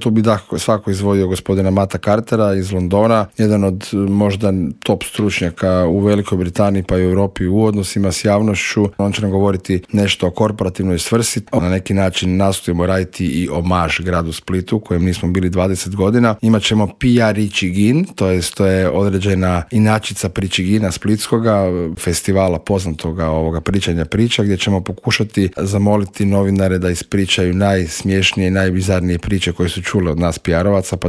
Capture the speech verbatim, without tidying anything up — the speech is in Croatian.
Tu bi da svako izvodio gospodina Mata Cartera iz Londona, jedan od možda top stručnjaka u Velikoj Britaniji pa i u Europi u odnosima s javnošću. On će nam govoriti nešto o korporativnoj svrsi. Na neki način nastojimo raditi i omaž gradu Splitu, u kojem nismo bili dvadeset godina. Imat ćemo P R Ichigin, to je, to je određena inačica Pričigina splitskoga, festivala poznatoga ovoga pričanja priča, gdje ćemo pokušati zamoliti novinare da ispričaju najsmješnije i najbizarnije priče koje su čule od nas P R-ovaca, pa